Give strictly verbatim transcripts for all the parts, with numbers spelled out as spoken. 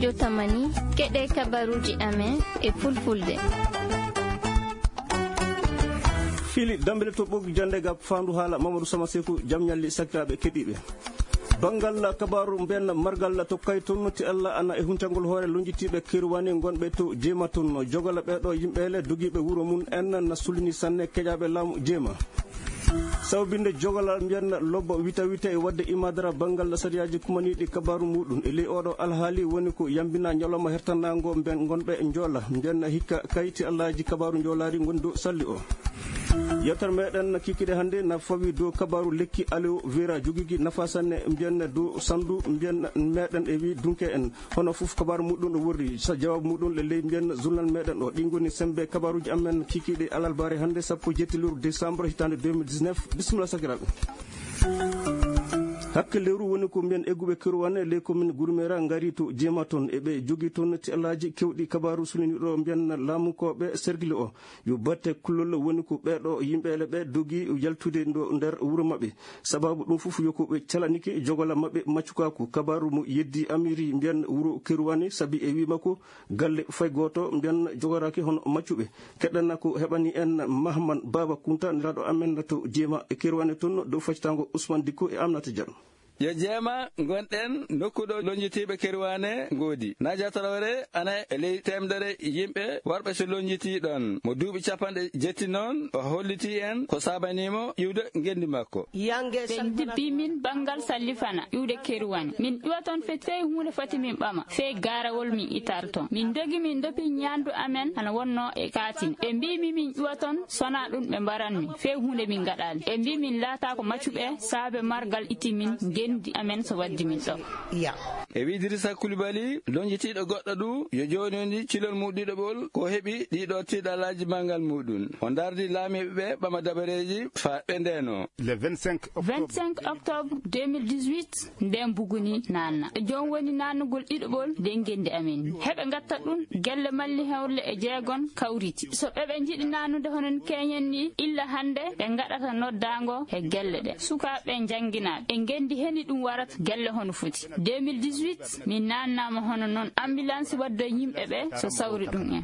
Jotamani, keɗe kabaruji amen e fulfulde. Fili dambele to ɓoggi jande gab fandu hala Mamadou Sama Seku, jam ñalli sakiraɓe keɗiɓe. Bangal kabaru mben margal to kay toon ti Allah ana e huncangol hoore lonjitiɓe Kirwani gonɓe to Jema toon. Jogala ɓeɗo yimɓe le dogiɓe wuro mum en na sulini sanne keƴaɓe laamu Jema. Sawbinde jogala mbiyan lobbo wita wita e wadde imadara bangal sariyaji kumaniɗi kabaru muɗum e ley oɗo alhaali woni ko yambina ñalawma hertanango mben gonɓe joola mbiyan hikka kayti Allaji kabaru joolari gondi dow salli o. Yewtere meɗen kikiɗe hannde na fawi dow kabaru lekki aloe vera jogigi nafa sanne mbiyan dow sandu mbiyan meɗen e wi dunke en. Hono fof kabaru muɗum ɗo worri sa jawabu muɗum le ley mbiyan journal meɗen o ɗi goni sembe kabaruji amen kikiɗe alalbare hannde sappo jetti lewru décembre hitande deux mille dix-neuf. Bisimilla sakiraɓe. Hakke lewru woni ko mbiyan egguɓe Kirwane ley commune Gourmera ngari to Jema toon eɓe jogi toon ti alaji kewɗi kabaru suniniɗo mbiyan laamukoɓe sergile o yo batte kullol woni ko ɓeɗo yimɓele ɓe dogi yaltude ndo nder wuro maɓɓe. Sababu ɗum fof yo ko ɓe calanike jogola maɓɓe maccukaku kabaru mo yeddi amiri mbiyan wuro Kirwane sabi e wima ko galle fay gooto mbiyan jogoraki hono maccuɓe. Keɗɗanna ko heɓani en Mahman Baba Kunta nelaɗo amen to Jema e Kirwane toon dow faccitango Ousmane Dikko e Amnata Diallo. Yo Jema gonɗen nokku ɗo lonjitiiɓe Kirwane ngoodi. Nadia Traoré ana e ley temdere yimɓe warɓe so lonjitii ɗon. Mo duuɓi capanɗe jetti noon o holliti en ko sabanimo iwde ngendi makko. Ɓe dibbi min banngal Sallifana iwde Keruwani. Min iwa toon feti fey huunde foti min ɓama fey gaarawol min itar toon. Min dogi min dopi ñaandu amen hano wonno e kaatin. Ɓe mbii mi min iwa toon sona ɗum ɓe mbaran min fey huunde min ngaɗaali. Ɓe mbii min laataako maccuɓe saabe margal itti min ngenndi amen so waddi min ɗo. E wi Idrissa Koulibaly lonjitiiɗo goɗɗo ɗu yo jooni woni cilol mu ɗiɗoɓol ko heɓi ɗiɗo tiiɗalaaji banngal muɗum. O ndardi laamiiɓe ɓe ɓama dabareeji faa ɓe ndeenoo. Le vingt-cinq octobre. Vingt-cinq octobre deux mille dix-huit, nden buguni naanna. Joom woni naannugol ɗiɗoɓol nden ngenndi amen. Heɓe ngatta ɗum gelle malli hewle e jeegon kawriti. So ɓe ɓe njiɗi naannude hono keñen ni, illa hannde ɓe ngaɗata noddaango e gelle ɗe. Sukaaɓe njannginaaɓe e ngenndi heni ɗum warata gelle hono foti. Deux mille dix-huit, min naannaama hono noon ambulance waddo yimɓe ɓe so sawri ɗum en.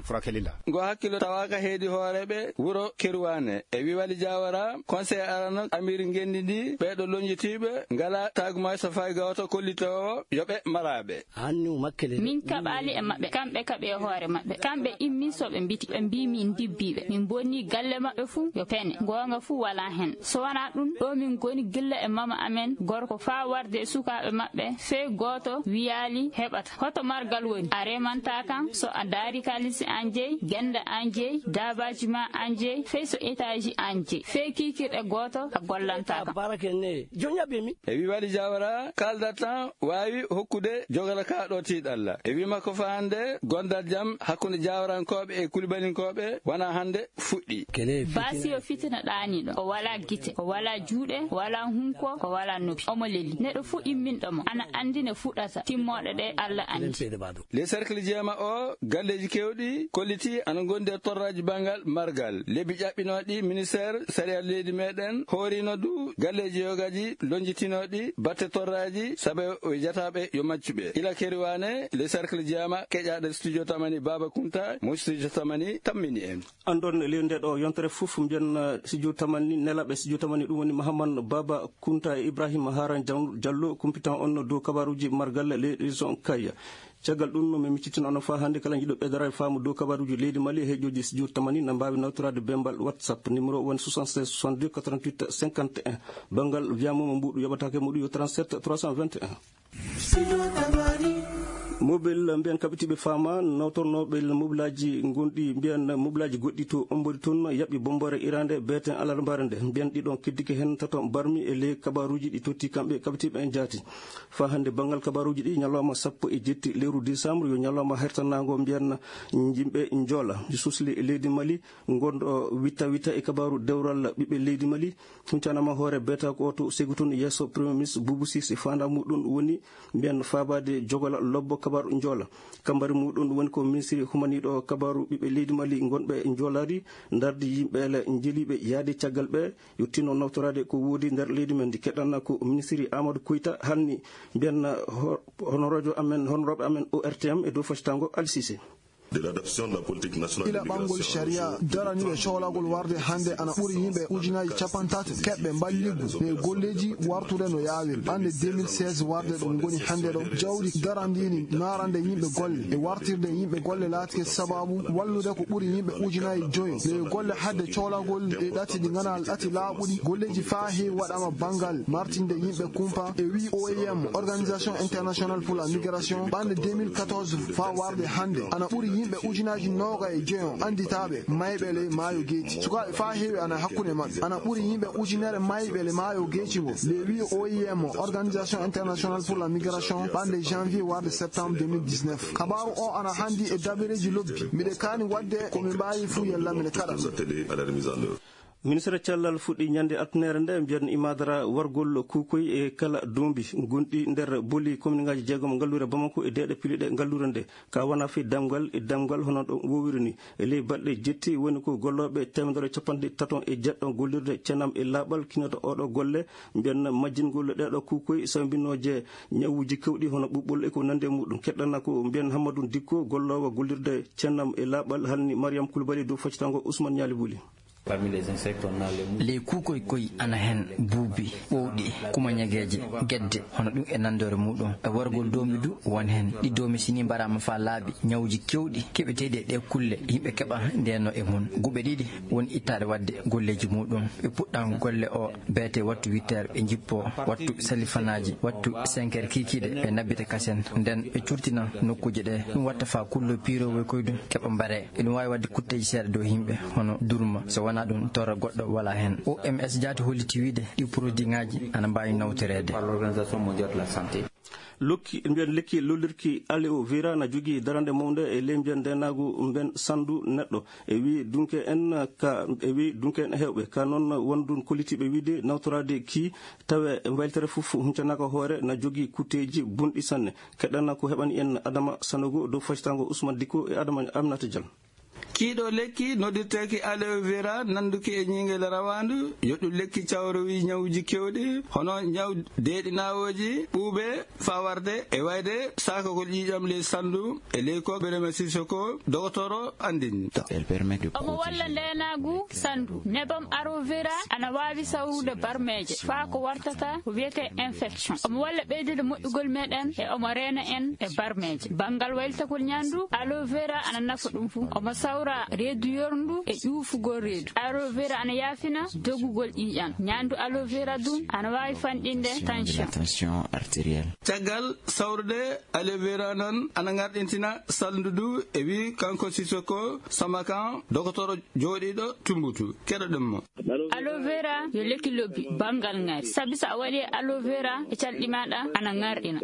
Ngo hakkilo tawaaka heedi hooreeɓe wuro Keruwaane. E Wiwali Jawara, conseil arano amiri ngenndi ndi, ɓeeɗo lonjitiiɓe ngala tagumay so fay gawto kollitoowo yo ɓe maraaɓe. Min kaɓaali e maɓɓe, kamɓe kaɓi e hoore maɓɓe. Kamɓe immi so ɓe mbiti, ɓe mbii min ndibbiiɓe. Min bonni galle maɓɓe fuu yo pene. Goonga fuu walaa hen. So wanaa ɗum, ɗo min ngoni gilla e mama amen gorko faa warde e sukaaɓe maɓɓe, fey gooto wiyaali heɓata. Hoto margal woni? A remanta kam, so a daari kaalisi an jeyi, gennde an jeyi, daabaaji ma an jeyi, fey so etaaji an jeyi. Fey kiikirɗe gooto a gollanta kam. E Wiwali Jawara, kaaldat tan waawi hokkude jogala kaa ɗo tiiɗalla. E wii makko faa hannde, gondal jam hakkunde Jawarankooɓe e Kulibalinkooɓe wonaa hannde fuɗɗi. Baasi yo fitina ɗaaniiɗo. O walaa gite, o walaa juuɗe, o walaa hunko, o walaa noppi. Omo leli. Neɗɗo fuu imminɗo mo, ana anndi ne fuɗɗata. Timmooɗe ɗe Alla anndi. Les cercle jeema o, galleeji keewɗi kollitii ana ngondi e torraaji banngal margal. Lebbi ƴaɓɓinooɗi ministeer sariya leydi meɗen hooriino du galleeji yogaji lonjitinooɗi batte torraaji sabe o jataaɓe yo maccuɓe. Ila Keriwaane, les cercle jeema keƴaaɗo studio Tamani Baba Kunta, mo studio Tamani tammini en. Andon e ley nde ɗo yontere fof mbiyen, eh, studio Tamani, nelaɓe studio Tamani, ɗum woni Mahaman Baba Kunta e Ibrahima Haran Jan-, Jallo, kumpitan on dow kabaruji margal ley région Kayya. Caggal ɗum, no mi miccitina on faa hannde kala jiɗo ɓeydorade faamu dow kabaruji leydi Mali e heejoji studio Tamani na mbaawi nawtorade bembal WhatsApp. Numéro woni soixante-seize soixante-deux quatre-vingt-huit cinquante et un. Banngal wiyama mo mbuɗu yoɓatake muɗum yo trente-sept trois cent vingt et un. Mobile mbiyan kaɓitiiɓe faama, nawtornooɓe mobilaaji gonɗi mbiyan mobilaaji goɗɗi to Ombori toon yaɓɓi bombore iraande beeten alarbaare nde. Mbiyan ɗiɗon keddike heen tato barmi e ley kabaruuji ɗi totti kamɓe kaɓitiiɓe en jaati. Faa hannde banngal kabaruuji ɗi ñalawma sappo e jetti lewru décembre yo ñalawma hertanaango mbiyan yimɓe njoola. Susli leydi Mali ngonɗo witta witta e kabaru dewral ɓiɓɓe leydi Mali. Huncanaama hoore beeta ko oto segu toon yeeso Premier Ministre Boubou Cissé. Faandaa muɗum woni mbiyan faabaade jogola lobbo Kabaaru Njoola. Kambari muɗum woni ko ministiri humaniiɗo kabaaru ɓiɓɓe leydi Mali ngonɓe Njoolaari, ndardi yimɓe le njeliiɓe yaade caggal ɓe yottinoo nawtoraade ko woodi nder leydi men ndi. Keɗanna ko ministiri Amadou Koyta halni mbiyan ho-, honoroojo amen, honorooɓe amen O R T M e dow foccango Alsise. De l'adoption de la politique nationale ila ɓanngol d'immigration sharia daraniiɓe coolagol warde hannde ana ɓuri yimɓe ujunaaji capantato keɓɓe mballiggu e golleeji wartude no yaawiri. Ɓannde deux mille seize warde ɗo ngoni hannde ɗo, jawdi darandini naarande yimɓe golle e wartirde yimɓe golle laatike sababu wallude ko ɓuri yimɓe ujunaaji joyo. Ɗe golle hadde coolagol e ɗati ɗi ngana ɗati laaɓuɗi, golleeji faa heewi waɗama banngal martinde yimɓe kumpa e wii O I M, Organisation Internationale pour la Migration, ɓannde deux mille quatorze faa warde hannde, ana ɓuri yimɓe ujunaaji nooga e joyo annditaaɓe mayɓe ley maayo geeci. Sukaaɓe faa heewi ana hakkunde maɓɓe. Ana ɓuri yimɓe ujunere mayɓe le maayo geeci ngo. Le wii O I M, Organisation Internationale pour la Migration, ɓannde janvier warde septembre deux mille dix-neuf. Kabaaru o ana hanndi e dabareeji lobbi. Miɗe kaani waɗde ko mi mbaawi fuu yalla miɗe kaɗa. Ministre cellal fuɗɗi ñande altinere nde, mbiyan imadara wargol kuukoy e kala doombi gonɗi nder boli kominŋaaji jeegom ngalluure Bamako e deeɗe piliɗe ngalluure nde. Ka wona fii damgal e damgal hono ɗo wowiri ni. E ley balɗe jetti woni ko gollooɓe teemedere capanɗe tato e jeɗɗo gollirde ceenam e laaɓal kinoto oɗo golle, mbiyan majjingol ɗeeɗo kuukoy sambinooje ñawuuji kewɗi hono ɓuɓɓol e ko nandi e muɗum. Keɗɗana ko mbiyan Hammadou Dikko, golloowo gollirde ceenam e laaɓal, halni Mariam Koulibaly dow foccango Ousmane Ñaali Buli. Parmi les insectes, on a les moustiques. Ley kuukoy koy ana heen buubi, ɓowɗi, kumañageeje, gedde, hono ɗum e nanndoore muɗum. E wargol doombi du won heen. Ɗi doomi si ni mbaraama faa laaɓi, ñawuuji kewɗi keɓeteeɗi e ɗee kulle, yimɓe keɓa ndeenoo e mum. Guɓe ɗiɗi woni ittaade waɗde golleeji muɗum. Ɓe puɗɗa golle o beete wattu huit heures, ɓe njippoo wattu salifanaaji, wattu cinq heures kiikiiɗe, ɓe nabbita kasen. Nden ɓe curtina nokkuuje ɗe. Ɗum watta faa kulloy piiroowoy koy ɗum keɓa mbaree. Eɗum waawi waɗde kutteeji seeɗa dow yimɓe, hono durma. So wonaa ɗum, torra goɗɗo walaa heen. O M S jaati holliti wiide ɗi produitŋaaji ana mbaawi nawtoreede. Par l'Organisation mondiale de la santé. Lokki, mbiyan lekki lollirki aloe vera na jogii darande mawnde e ley mbiyan ndeenaagu mben sandu neɗɗo. E wii dunke en ka, e wii dunke en heewɓe. Ka noon wondun kollitiiɓe wiide nawtoraade ki tawe mbaylitere fof huncanaaka hoore na jogii kutteeji bonɗi sanne. Keɗɗana ko heɓani en Adama Sanogo dow foccango Ousmane Dikko e Adama Aminata Diallo. Kiiɗo lekki noddirteeki aloe vera, nannduki e ñiingel rawaandu, yo ɗum lekki cawrowi ñawuuji keewɗi, hono ñaw deeɗi naawooji, ɓuuɓe, faa warde e wayde saakagol ƴiiƴam ley sandu, e ley ko Birame Sissoko, dogotoro, anndini. Elle permet de Omo walla protéger ndeenaagu sandu. Nebam aloe vera ana waawi sawrude barmeeje, faa ko wartata ko wiyetee infection. Omo walla ɓeydude moƴƴugol meɗen e omo reena en e barmeeje. Banngal waylitagol ñaandu, aloe vera ana nafa ɗum fuu. Omo sawra reedu yorndu e ƴuufugol reedu. Aloe vera ana yaafina dogugol ƴiiƴam. Ñaandu aloe vera dum ana waawi fanɗinde tension. La tension artérielle. Caggal sawrude aloe vera noon ana ngarɗintina sandu du e wii kanko Sissoko Samakan, dogotoro jooɗiiɗo Tumbutu. Keɗoɗen mo. Aloe vera yo lekki lobbi banngal ŋari. Sabi so a waɗi aloe vera e calɗi maaɗa ana ŋarɗina.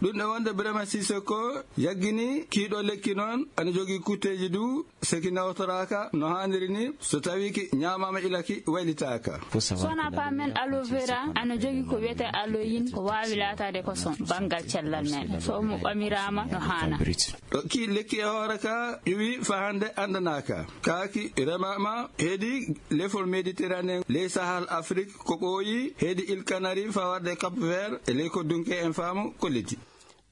Ɗum ɗo wonde Birame Sissoko yaggini kiiɗo lekki noon ana jogii kutteeji du seki nawtoraaka no haaniri ni so tawi ki ñaamaama ila ki waylitaaka. So wonaa paamen aloe vera ana jogii ko wiyetee aloyin ko waawi laataade ko son banngal cellal men. So omo ɓamiraama no haana. Ɗo ki lekki e hoore ka ƴuwi faa hannde anndanaaka. Kaaki remaama heedi lefol Méditerranée, ley Sahel Afrik ko ɓooyi, heedi Îles Canaries faa warde Cap Vert, e ley ko dunke en faamu ko leddi.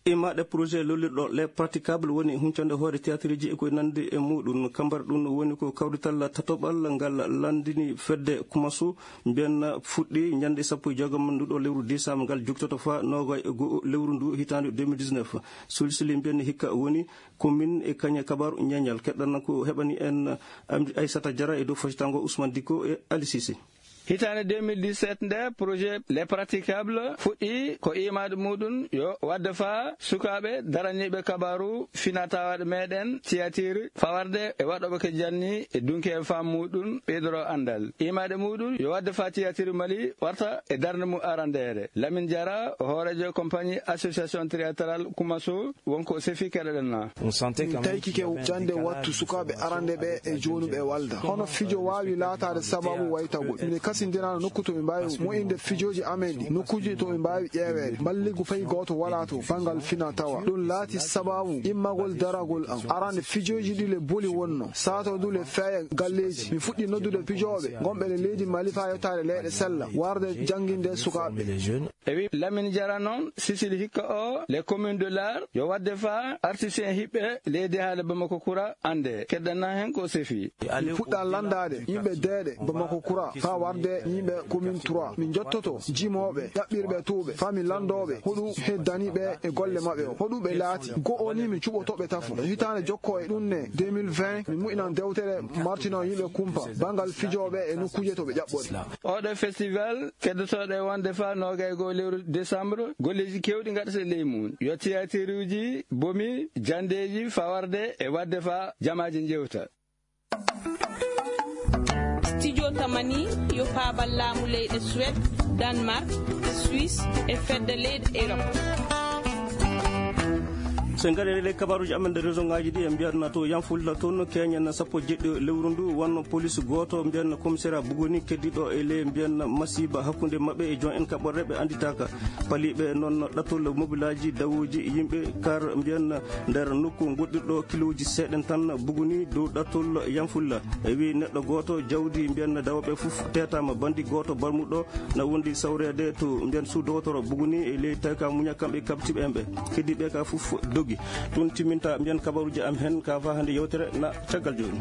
Imaɗe projet lollirɗo Les Praticables woni huncande hoore théâtreji e koye nandi e muɗum. Kambar ɗum woni ko kawrital tatoɓal ngal landini fedde Kumasu mbiyan fuɗɗi ñande sappo e jeegom nduɗo lewru décembre ngal joktoto faa noogay e go'o lewru ndu hitaande deux mille dix-neuf. Sulsili mbiyan hikka woni commune e kañe kabaaru ñeeñal. Keɗɗan ko heɓani en Amdi Aissata Diarra e dow foccango Ousmane Dicko e Ali Cissé. Hitaande deux mille dix-sept nde projet Les Praticables fuɗɗi ko imaade muɗum yo wadde faa sukaaɓe daraniiɓe kabaaru finatawaaɗo meɗen théâtre fawarde e waɗooɓe ko janni e dunki e faamu muɗum ɓeydoro anndal. Imaade muɗum yo wadde faa théâtre Mali warta e darnde mum arandeere. Lamine Diarra, hooreejo compagnie Association Théâtrale Kumaso, wonko sefi keɗoɗen na. Min tawki ke jannde wattu sukaaɓe arande ɓe e joonuɓe walda. Hono fijo waawi laataade sababu waytagol. Mine Sindinaano nokku to ɓe mbaawi mo'inde fijooji amen ɗi, nokkuuji to ɓe mbaawi ƴeeweede. Mballigu fay gooto walaa to banngal fina tawa. Ɗum laati sabaabu immagol daragol am. Arande fijooji ɗi le boli wonno. Sato du le feeya galleeji. Mi fuɗɗi noddude pijooɓe gonɓe le leydi Mali faa yottaade leyɗe sella. Warde jannginde sukaaɓe. E wi Lamine Diarra noon, Sicile hikka o, les communes de l'art, yo waɗde faa artiste en hiɓɓe leydi haala Bamako Kura annde. Keddana heen ko sefi. Mi puɗɗa lanndaade yimɓe deeɗe Bamako Kura faa warde yimɓe commune trois. Mi jottoto jimooɓe, ƴaɓɓirɓe tuuɓe, faa mi lanndooɓe hoɗu heddani ɓe e golle maɓɓe o. Hoɗu ɓe laati. Go'o ni mi cuɓoto ɓe tafo. Hitaande jokko e ɗum ne deux mille vingt, mi mu'inan dewtere martino yimɓe kumpa, banngal fijooɓe e nokkuuje to ɓe ƴaɓɓori. Oɗo festival keddotooɗo e wonde faa noogay goo lewru décembre, golleeji keewɗi ngaɗata ley mum. Yo tiyatiruuji, bomi, janndeeji, fawarde e waɗde faa jamaaji njewta. Studio Tamani yo paabal laamu leyɗe Suède, Danemark, Suisse e fedde leyɗe Europe. So en ngarii e ley kabaruuji amen nder région ngaaji ɗi, en mbiyatno to Yanfulla toon, keñen sappo e jeɗɗi lewru ndu, wonno police gooto, mbiyen commissariat Buguni, keddiiɗo e ley, mbiyen, masiiba hakkunde maɓɓe e joom en kaɓorɗe ɓe annditaaka. Paliiɓe noon ɗattol mobilaaji dawooji yimɓe kar, mbiyen, nder nokku goɗɗirɗo kilooji seeɗen tan Buguni dow ɗattol Yanfulla. E wi neɗɗo gooto, jawdi, mbiyen, dawooɓe fof teetaama. Banndi gooto barmuɗo na wondi sawreede to mbiyen suudu dowotoro Buguni e ley tawi ka muña kamɓe kabtiiɓe en ɓe. Keddiiɓe ka fof dogi. Ɗum timminta mbiyen kabaruuji am heen ka faa hannde yewtere na caggal jooni.